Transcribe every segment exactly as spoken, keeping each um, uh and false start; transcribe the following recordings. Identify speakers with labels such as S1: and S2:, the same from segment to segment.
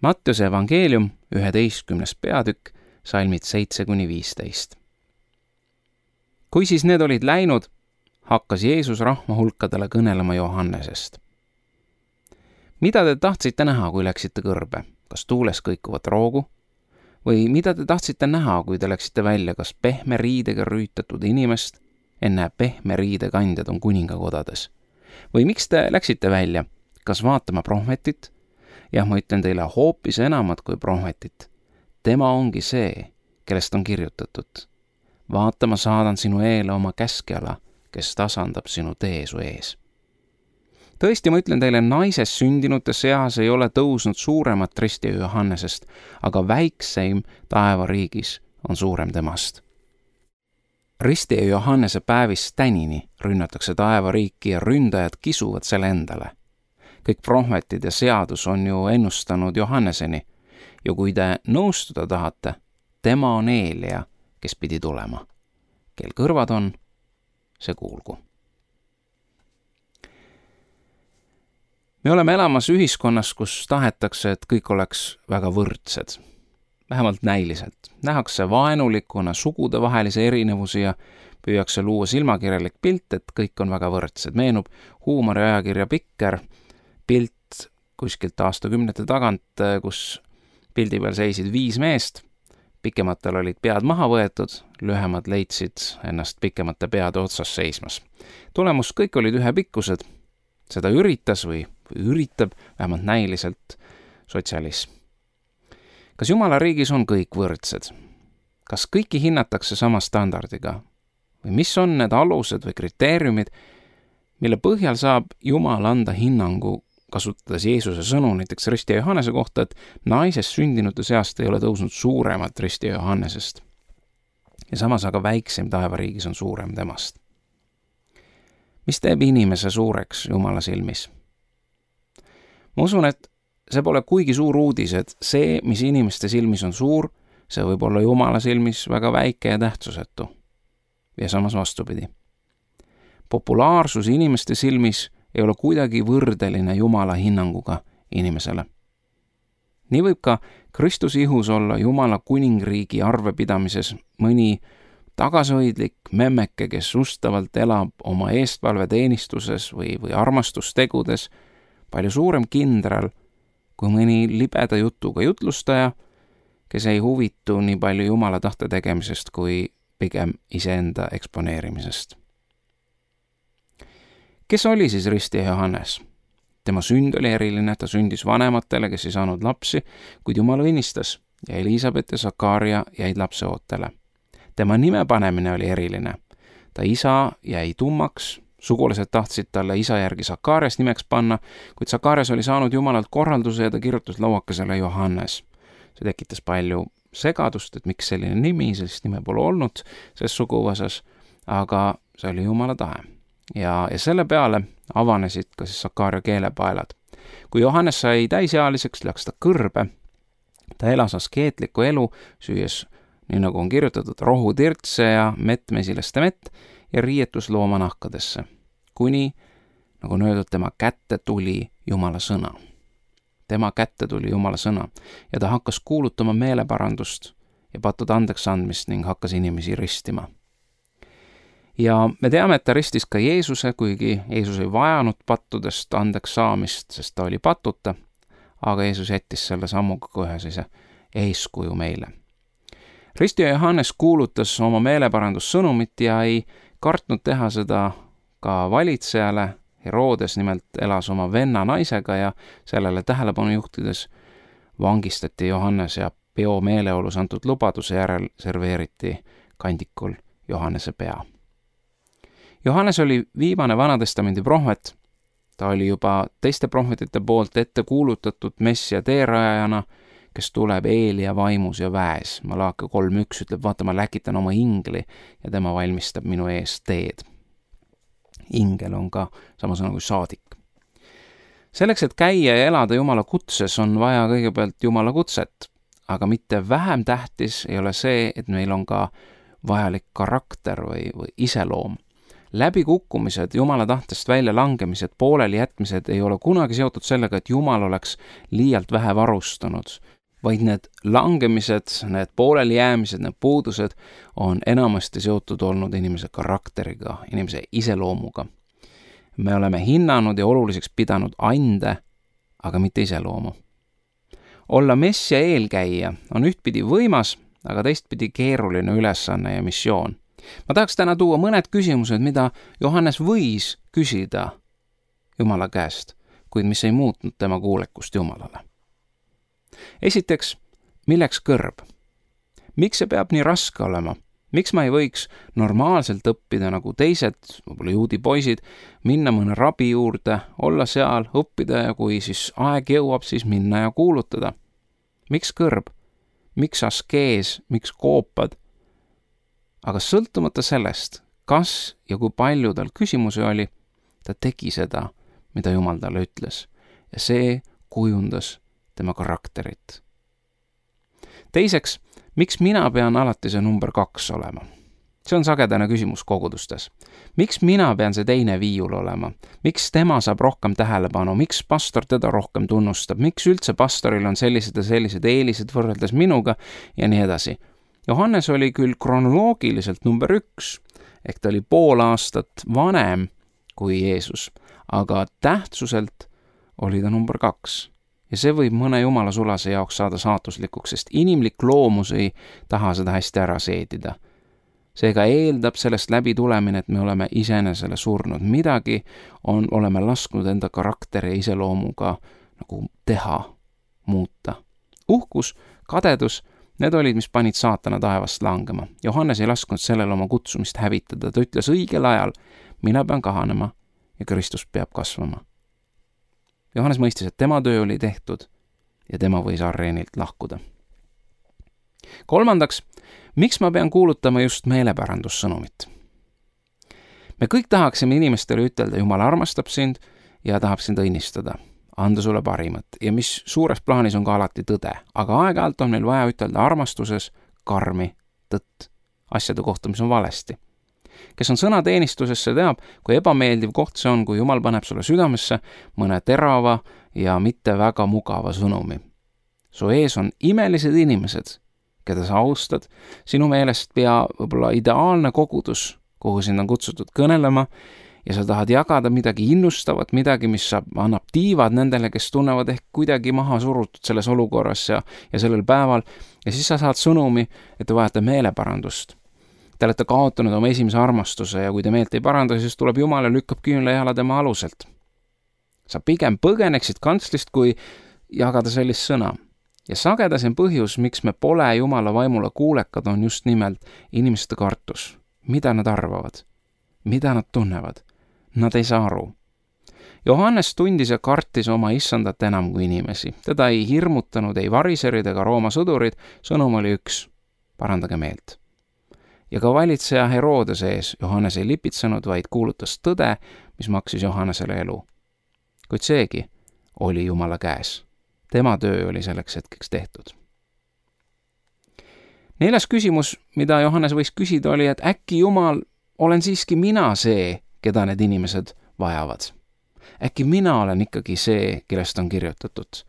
S1: Mattiuse evangeelium, üheteistkümnes peatükk, salmid seitse kuni viisteist. Kui siis need olid läinud, hakkas Jeesus rahva hulkadele kõnelema Johannesest. Mida te tahtsite näha, kui läksite kõrbe? Kas tuules kõikuvat roogu? Või mida te tahtsite näha, kui te läksite välja, kas pehme riidega rüütatud inimest? Enne pehme riide kandjad on kuningakodades. Või miks te läksite välja? Kas vaatama prohvetit? Jah, ma ütlen teile hoopis enamat kui prohvetit. Tema ongi see, kellest on kirjutatud. Vaata, ma saadan sinu eele oma käskjala, kes tasandab sinu tee su ees. Tõesti, ma ütlen teile, naisest sündinute seas ei ole tõusnud suuremat ristija Johannesest, aga väikseim taevariigis on suurem temast. Ristija Johannese päevist tänini rünnatakse taevariiki ja ründajad kisuvad selle endale. Kõik prohvetid ja seadus on ju ennustanud Johanneseni ja kui te nõustuda tahate, tema on Eelia, kes pidi tulema. Kel kõrvad on, see kuulgu. Me oleme elamas ühiskonnas, kus tahetakse, et kõik oleks väga võrdsed. Vähemalt näiliselt. Nähakse vaenulikuna sugudevahelise erinevusi ja püüakse luua silmakirjalik pilt, et kõik on väga võrdsed. Meenub huumoriajakirja Pikker pilt kuskilt aastakümnete tagant, kus pildi peal seisid viis meest. Pikematel olid pead maha võetud, lühemad leidsid ennast pikemate peade otsas seismas. Tulemus kõik olid ühepikkused. Seda üritas või, või üritab vähemalt näiliselt sotsialism. Kas Jumala riigis on kõik võrdsed? Kas kõiki hinnatakse sama standardiga? Või mis on need alused või kriteeriumid, mille põhjal saab Jumal anda hinnangu, kasutades Jeesuse sõnu näiteks ristija Johannese kohta, et naisest sündinute seast ei ole tõusnud suuremat ristija Johannesest. Ja samas aga väikseim taevariigis on suurem temast. Mis teeb inimese suureks Jumala silmis? Ma usun, et see pole kuigi suur uudis, et see, mis inimeste silmis on suur, see võib olla Jumala silmis väga väike ja tähtsusetu. Ja samas vastupidi. Populaarsus inimeste silmis ei ole kuidagi võrdeline Jumala hinnanguga inimesele. Nii võib ka Kristuse ihus olla Jumala kuningriigi arvepidamises mõni tagasihoidlik memmeke, kes ustavalt elab oma eestvalveteenistuses või, või armastustegudes, palju suurem kindral kui mõni libeda jutuga jutlustaja, kes ei huvitu nii palju Jumala tahte tegemisest kui pigem iseenda eksponeerimisest. Kes oli siis ristija Johannes? Tema sünd oli eriline, ta sündis vanematele, kes ei saanud lapsi, kuid Jumal õnnistas ja Elisabet ja Sakaria jäid lapse ootele. Tema nime panemine oli eriline. Ta isa jäi tummaks, sugulased tahtsid talle isa järgi Sakarias nimeks panna, kuid Sakarias oli saanud Jumalalt korralduse ja ta kirjutas lauakesele Johannes. See tekitas palju segadust, et miks selline nimi, sellist nime pole olnud selles suguvõsas, aga see oli Jumala tahe. Ja, ja selle peale avanesid ka siis Sakaria keelepaelad. Kui Johannes sai täisealiseks, läks ta kõrbe. Ta elas askeetlikku elu, süües, nii nagu on kirjutatud, rohutirtse ja mettmesilaste mett ja riietus loomanahkadesse. Kuni, nagu on öeldud, tema kätte tuli Jumala sõna. Tema kätte tuli Jumala sõna ja ta hakkas kuulutama meeleparandust ja pattude andeks andmist ning hakkas inimesi ristima. Ja me teame, et ta ristis ka Jeesuse, kuigi Jeesus ei vajanud pattudest andeks saamist, sest ta oli patuta, aga Jeesus jättis selle sammuga ka ühe sellise eeskuju meile. Ristija Johannes kuulutas oma meeleparandussõnumit ja ei kartnud teha seda ka valitsejale. Herodes nimelt elas oma venna naisega ja sellele tähelepanu juhtides vangistati Johannes ja peo meeleolus antud lubaduse järel serveeriti kandikul Johannese pea. Johannes oli viimane Vanatestamendi prohvet. Ta oli juba teiste prohvetite poolt ette kuulutatud messia teerajajana, kes tuleb Eelia vaimus ja väes. Malaaki kolm üks ütleb, vaata, ma läkitan oma ingli ja tema valmistab minu ees teed. Ingel on ka sama sõna kui saadik. Selleks, et käia ja elada Jumala kutses, on vaja kõigepealt Jumala kutset, aga mitte vähem tähtis ei ole see, et meil on ka vajalik karakter või, või iseloom. läbikukkumised, Jumala tahtest välja langemised, pooleli jätmised ei ole kunagi seotud sellega, et Jumal oleks liialt vähe varustanud, vaid need langemised, need pooleli jäämised, need puudused on enamasti seotud olnud inimese karakteriga, inimese iseloomuga. Me oleme hinnanud ja oluliseks pidanud ande, aga mitte iseloomu. Olla messia eelkäija on ühtpidi võimas, aga teistpidi keeruline ülesanne ja missioon. Ma tahaks täna tuua mõned küsimused, mida Johannes võis küsida Jumala käest, kuid mis ei muutnud tema kuulekust Jumalale. Esiteks, milleks kõrb? Miks see peab nii raske olema? Miks ma ei võiks normaalselt õppida nagu teised, võib-olla juudi poisid, minna mõne rabi juurde, olla seal, õppida ja kui siis aeg jõuab, siis minna ja kuulutada? Miks kõrb? Miks askees? Miks koopad? Aga sõltumata sellest, kas ja kui palju tal küsimusi oli, ta tegi seda, mida Jumal talle ütles. Ja see kujundas tema karakterit. Teiseks, miks mina pean alati see number kaks olema? See on sagedane küsimus kogudustes. Miks mina pean see teine viiul olema? Miks tema saab rohkem tähelepanu? Miks pastor teda rohkem tunnustab? Miks üldse pastoril on sellised ja sellised eelised võrreldes minuga ja nii edasi? Johannes oli küll kronoloogiliselt number üks, ehk ta oli pool aastat vanem kui Jeesus, aga tähtsuselt oli ta number kaks. Ja see võib mõne jumala sulase jaoks saada saatuslikuks, sest inimlik loomus ei taha seda hästi ära seedida. Seega eeldab sellest läbi tulemine, et me oleme iseenesele surnud. Midagi on, oleme lasknud enda karakteri ja iseloomuga nagu teha, muuta. Uhkus, kadedus, need olid, mis panid saatana taevast langema. Johannes ei lasknud sellele oma kutsumist hävitada. Ta ütles õigel ajal, mina pean kahanema ja Kristus peab kasvama. Johannes mõistis, et tema töö oli tehtud ja tema võis areenilt lahkuda. Kolmandaks, miks ma pean kuulutama just meelepärandussõnumit? Me kõik tahaksime inimestele ütelda, Jumal armastab sind ja tahab sind õnnistada, anda sulle parimat ja mis suures plaanis on ka alati tõde, aga aeg-ajalt on meil vaja ütelda armastuses karmi tõtt, asjade kohta, mis on valesti. Kes on sõnateenistuses, see teab, kui ebameeldiv koht see on, kui Jumal paneb sulle südamesse mõne terava ja mitte väga mugava sõnumi. Su ees on imelised inimesed, keda sa austad, sinu meelest pea võib-olla ideaalne kogudus, kuhu sind on kutsutud kõnelema ja sa tahad jagada midagi innustavat, midagi, mis saab, annab tiivad nendele, kes tunnevad ehk kuidagi maha surutud selles olukorras ja, ja sellel päeval ja siis sa saad sõnumi, et te vajate meeleparandust. Te olete kaotanud oma esimese armastuse ja kui te meelt ei paranda, siis tuleb Jumal ja lükkab küünla jala tema aluselt. Sa pigem põgeneksid kantslist, kui jagada sellist sõna. Ja sagedasin põhjus, miks me pole Jumala vaimule kuulekad, on just nimelt inimeste kartus. Mida nad arvavad? Mida nad tunnevad? Nad ei saa aru. Johannes tundis ja kartis oma issandat enam kui inimesi. Teda ei hirmutanud, ei variserid ega Rooma sõdurid. Sõnum oli üks. Parandage meelt. Ja ka valitseja Herodese ees Johannes ei lipitsenud, vaid kuulutas tõde, mis maksis Johannesele elu. Kuid seegi oli Jumala käes. Tema töö oli selleks hetkeks tehtud. Neljas küsimus, mida Johannes võis küsida, oli, et äkki Jumal, olen siiski mina see, keda need inimesed vajavad. Äkki mina olen ikkagi see, kellest on kirjutatud.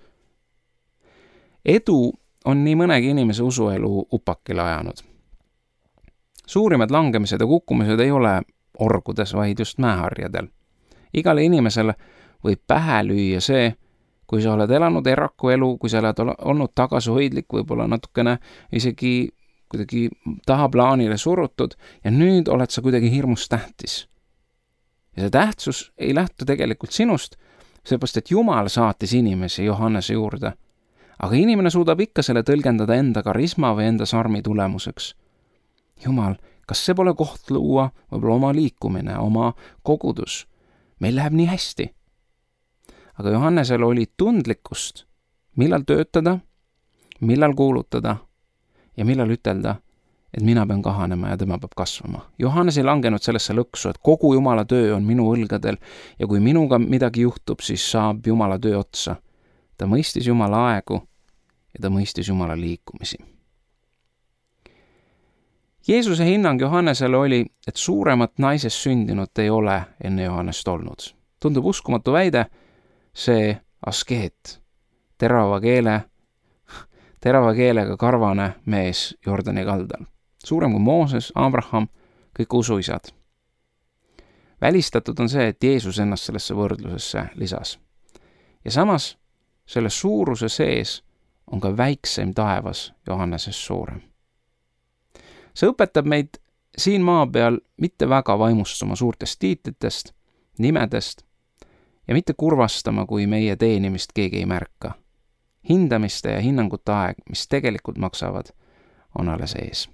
S1: Edu on nii mõnegi inimese usuelu upakile ajanud. Suurimad langemised ja kukkumised ei ole orgudes, vaid just mäeharjadel. Igale inimesele võib pähe lüüa see, kui sa oled elanud eraku elu, kui sa oled olnud tagasihoidlik, võib-olla natukene isegi kuidagi tahaplaanile surutud ja nüüd oled sa kuidagi hirmus tähtis. Ja see tähtsus ei lähtu tegelikult sinust, seepärast et Jumal saatis inimesi Johannese juurde. Aga inimene suudab ikka selle tõlgendada enda karisma või enda sarmi tulemuseks. Jumal, kas see pole koht luua võib-olla oma liikumine, oma kogudus? Meil läheb nii hästi. Aga Johannesel oli tundlikkust, millal töötada, millal kuulutada ja millal ütelda, et mina pean kahanema ja tema peab kasvama. Johannes ei langenud sellesse lõksu, et kogu Jumala töö on minu õlgadel ja kui minuga midagi juhtub, siis saab Jumala töö otsa. Ta mõistis Jumala aegu ja ta mõistis Jumala liikumisi. Jeesuse hinnang Johannesele oli, et suuremat naisest sündinut ei ole enne Johannest olnud. Tundub uskumatu väide, see askeet, terava keele, terava keelega karvane mees Jordani kaldal. Suurem kui Mooses, Abraham, kõik usuisad. Välistatud on see, et Jeesus ennast sellesse võrdlusesse lisas. Ja samas, selle suuruse sees on ka väikseim taevas Johannesest suurem. See õpetab meid siin maa peal mitte väga vaimustuma suurtest tiitlitest, nimedest ja mitte kurvastama, kui meie teenimist keegi ei märka. Hindamiste ja hinnangute aeg, mis tegelikult maksavad, on alles ees.